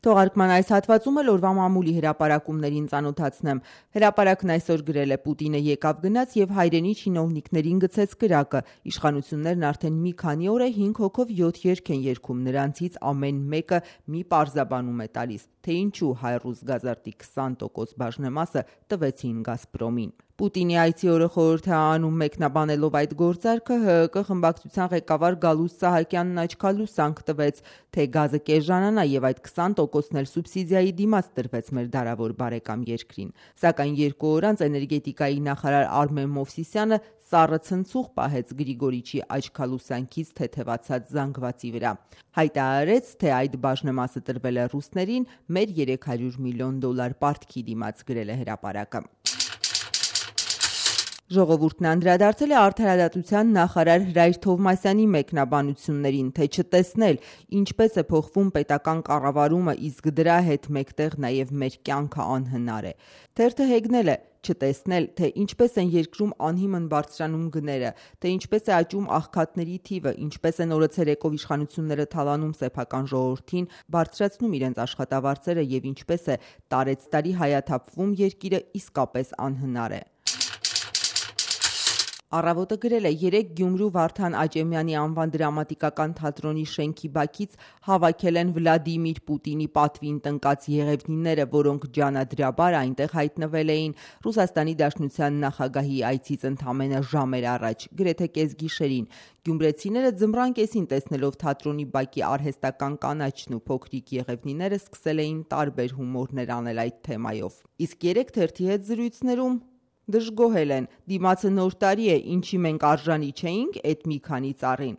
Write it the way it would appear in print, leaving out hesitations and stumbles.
Թողարկման այս հատվածում էլ օրվա մամուլի հրապարակումներին ծանոթացնեմ։ Հրապարակն այսօր գրել է Պուտինը եկավ գնաց եւ հայրենի չինովնիկներին գցեց կրակը։ Իշխանություններն արդեն մի քանի օր է 5 հոգով 7 երգ են երգում, նրանցից ամեն մեկը մի պարզաբանում է տալիս, թե ինչու հայ-ռուս գազարտի 20% բաժնեմասը տվեցին Գազպրոմին։ Պուտինի այցի օրը խորհուրդ է անում մեկնաբանելով այդ գործարքը, ՀՀԿ խմբակցության ղեկավար Գալուստ Սահակյանն աչքալուսանք տվեց, թե գազը կեժանանա եւ այդ 20%-ն էլ սուբսիդիայի դիմաց տրվեց մեր դարավոր բարեկամ երկրին։ Սակայն 2 օր անց էներգետիկայի նախարար Արմեն Մովսիսյանը սառը ցնցուղ պահեց Գրիգորիչի աչքալուսանքից թեթևացած զանգվածի վրա։ Հայտարարեց, թե այդ բաժնեմասը տրվել է ռուսներին մեր $300 միլիոն պարտքի դիմաց, գրել է հրապարակը։ Ժողովուրդն անդրադարձել է արդարադատության նախարար Հրայր Թովմասյանի մեկնաբանություններին, թե չտեսնել ինչպես է փոխվում պետական կառավարումը, իսկ դրա հետ մեկտեղ նաև մեր կյանքը անհնար է։ Թերթը հեգնել է չտեսնել, թե ինչպես են երկրում անհիմն բարձրանում գները, թե ինչպես է աճում աղքատների թիվը, ինչպես են օրը ցերեկով իշխանությունները թալանում սեփական ժողովրդին, բարձրացնում իրենց աշխատավարձերը եւ ինչպես է տարեցտարի հայաթափվում երկիրը իսկապես անհնար է։ Առավոտը գրել է 3 Գյումրու Վարդան Աճեմյանի անվան դրամատիկական թատրոնի շենքի բակից հավաքել են Վլադիմիր Պուտինի պատվին տնկած եղևնիները, որոնք ջանադրաբար այնտեղ հայտնվել էին Ռուսաստանի Դաշնության նախագահի այցից ընդամենը ժամեր առաջ, գրեթե կեսգիշերին։ Գյումրեցիները ձմռան կեսին տեսնելով թատրոնի բակի արհեստական կանաչն ու փոքրիկ եղևնիները սկսել էին տարբեր հումորներ անել այդ թեմայով։ Իսկ 3 թերթի հետ զրույցներում դժգոհել են, դիմացը նոր տարի է, ինչի մենք արժանի չէինք էդ մի քանի ծառին։